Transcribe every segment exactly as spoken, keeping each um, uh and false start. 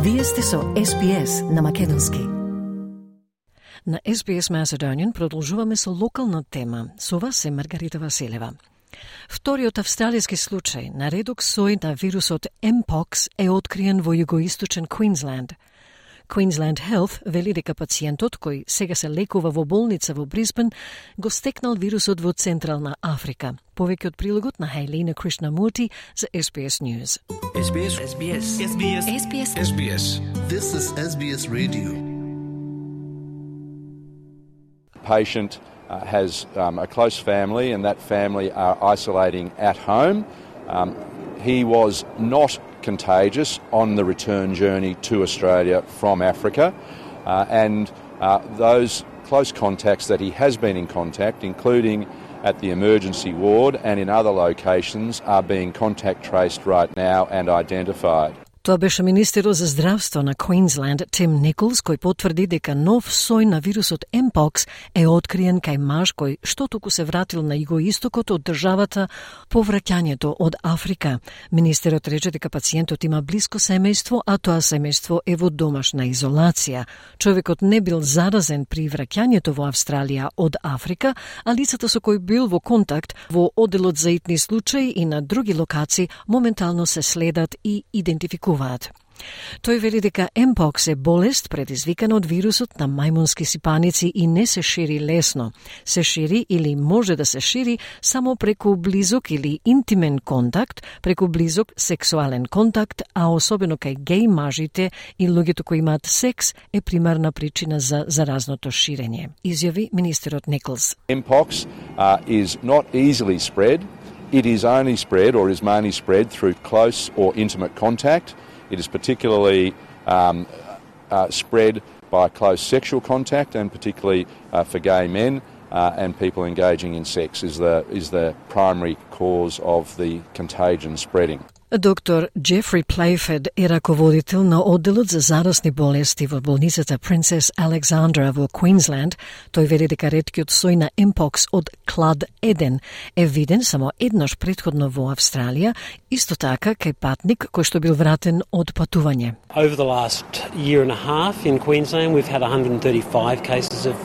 Вие сте со Ес Би Ес на македонски. На Ес Би Ес Macedonian продолжуваме со локална тема. Со вас е Маргарита Василева. Вториот австралијски случај на редок сој на вирусот Mpox е откриен во југоисточен Квинсленд. Queensland Health вели дека пациентот, кој сега се лекува во болница во Брисбен, го стекнал вирусот во Централна Африка. Повеќе од прилогот на Хейлина Кришнамурти за Ес Би Ес News. Ес Би Ес. Ес Би Ес. Ес Би Ес. Ес Би Ес. Ес Би Ес. This is Ес Би Ес Radio. Patient uh, has um, a close family, and that family are isolating at home. Um, he was not contagious on the return journey to Australia from Africa, uh, and uh, those close contacts that he has been in contact, including at the emergency ward and in other locations, are being contact traced right now and identified. Тоа беше министерот за здравство на Квинсленд Тим Николс, кој потврди дека нов сој на вирусот Mpox е откриен кај маж кој што току се вратил на југоистокот од државата по враќањето од Африка. Министерот рече дека пациентот има блиско семејство, а тоа семејство е во домашна изолација. Човекот не бил заразен при враќањето во Австралија од Африка, а лицата со кои бил во контакт во одделот за итни случаи и на други локации моментално се следат и идентификуваат. Тој вели дека Mpox е болест предизвикана од вирусот на мајмунски сипаници и не се шири лесно. Се шири или може да се шири само преку близок или интимен контакт, преку близок сексуален контакт, а особено кај геј мажите и луѓето кои имаат секс е примарна причина за заразното ширење, изјави министерот Николс. Mpox uh, is not easily spread. It is only spread or is mainly spread through close or intimate contact. It is particularly um, uh, spread by close sexual contact, and particularly uh, for gay men uh, and people engaging in sex is the is the primary cause of the contagion spreading. Доктор Джефри Плейфед е раководител на одделот за зарасни болести во болницата Принцес Александра во Квинсленд. Тој вели дека реткиот сој на Mpox од клад еден е виден само еднаш претходно во Австралија, исто така кај патник кој што бил вратен од патување. Over the last year and a half in Queensland we've had one hundred thirty-five cases of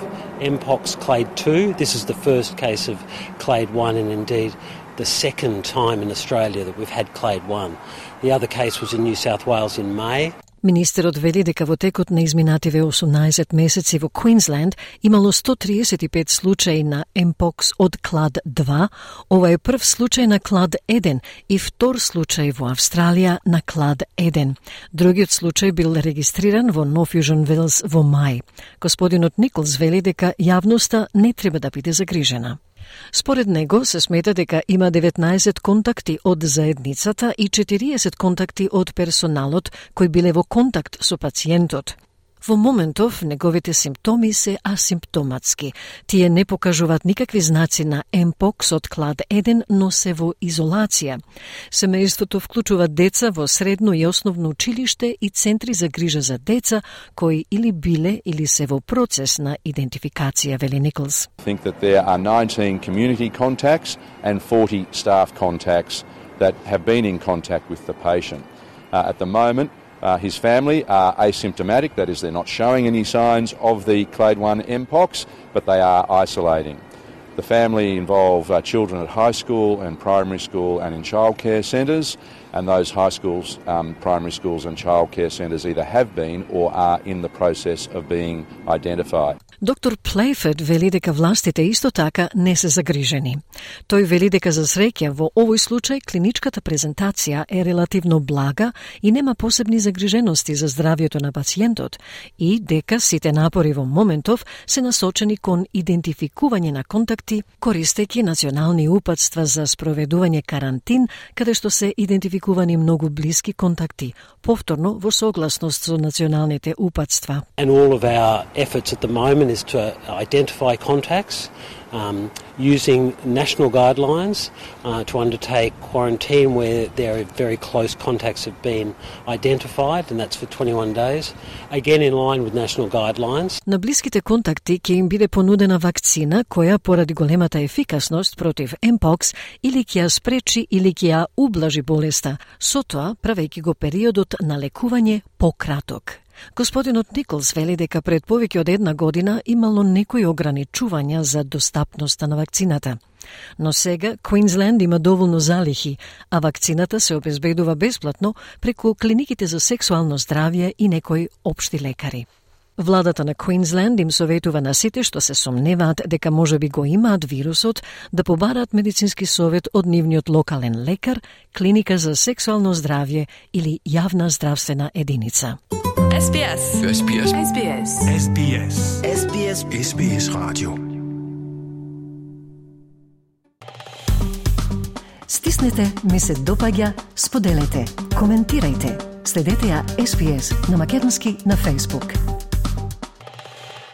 Mpox clade two. This is the first case of clade one, and indeed the second time in Australia that we've had clade one. The other case was in New South Wales in May. Министерот вели дека во текот на изминативе осумнаесет месеци во Квинсленд имало сто триесет и пет случаи на Mpox од клад два. Ова е прв случај на клад еден и втор случај во Австралија на клад еден. Другиот случај бил регистриран во Нов Јужен Велс во мај. Господинот Николс вели дека јавноста не треба да биде загрижена. Според него се смета дека има деветнаесет контакти од заедницата и четириесет контакти од персоналот кои биле во контакт со пациентот. Во моментов неговите симптоми се асимптоматски. Тие не покажуваат никакви знаци на Mpox од клад еден, но се во изолација. Семејството вклучува деца во средно и основно училиште и центри за грижа за деца кои или биле или се во процес на идентификација, вели Николс. I think that there are nineteen community contacts and forty staff contacts that have been in contact with the patient. Uh, at the moment, Uh, his family are asymptomatic, that is, they're not showing any signs of the clade one Mpox, but they are isolating. The family involve uh, children at high school and primary school and in childcare centres, and those high schools, um, primary schools and childcare centres either have been or are in the process of being identified. Доктор Плейфед вели дека властите исто така не се загрижени. Тој вели дека за среќа во овој случај клиничката презентација е релативно блага и нема посебни загрижености за здравјето на пациентот и дека сите напори во моментов се насочени кон идентификување на контакти, користејќи национални упатства за спроведување карантин, каде што се идентификувани многу блиски контакти, повторно во согласност со националните упатства. And all of our efforts at the moment is to identify contacts, um, using national guidelines uh, to undertake quarantine where there are very close contacts have been identified, and that's for twenty-one days, again in line with national guidelines. На блиските контакти ќе им биде понудена вакцина која поради големата ефикасност против Mpox или ќе ја спречи или ќе ја ублажи болеста, со тоа правејќи го периодот на лекување пократок. Господинот Николс вели дека пред повеќе од една година имало некои ограничувања за достапноста на вакцината. Но сега Квинсленд има доволно залихи, а вакцината се обезбедува бесплатно преку клиниките за сексуално здравје и некои општи лекари. Владата на Квинсленд им советува на сите што се сомневаат дека можеби го имаат вирусот да побараат медицински совет од нивниот локален лекар, клиника за сексуално здравје или јавна здравствена единица. S B S. S B S. S B S. S B S. S B S. S B S Radio. Стиснете, ми се допаѓа, споделете, коментирајте. Следете ја S B S на македонски на Facebook.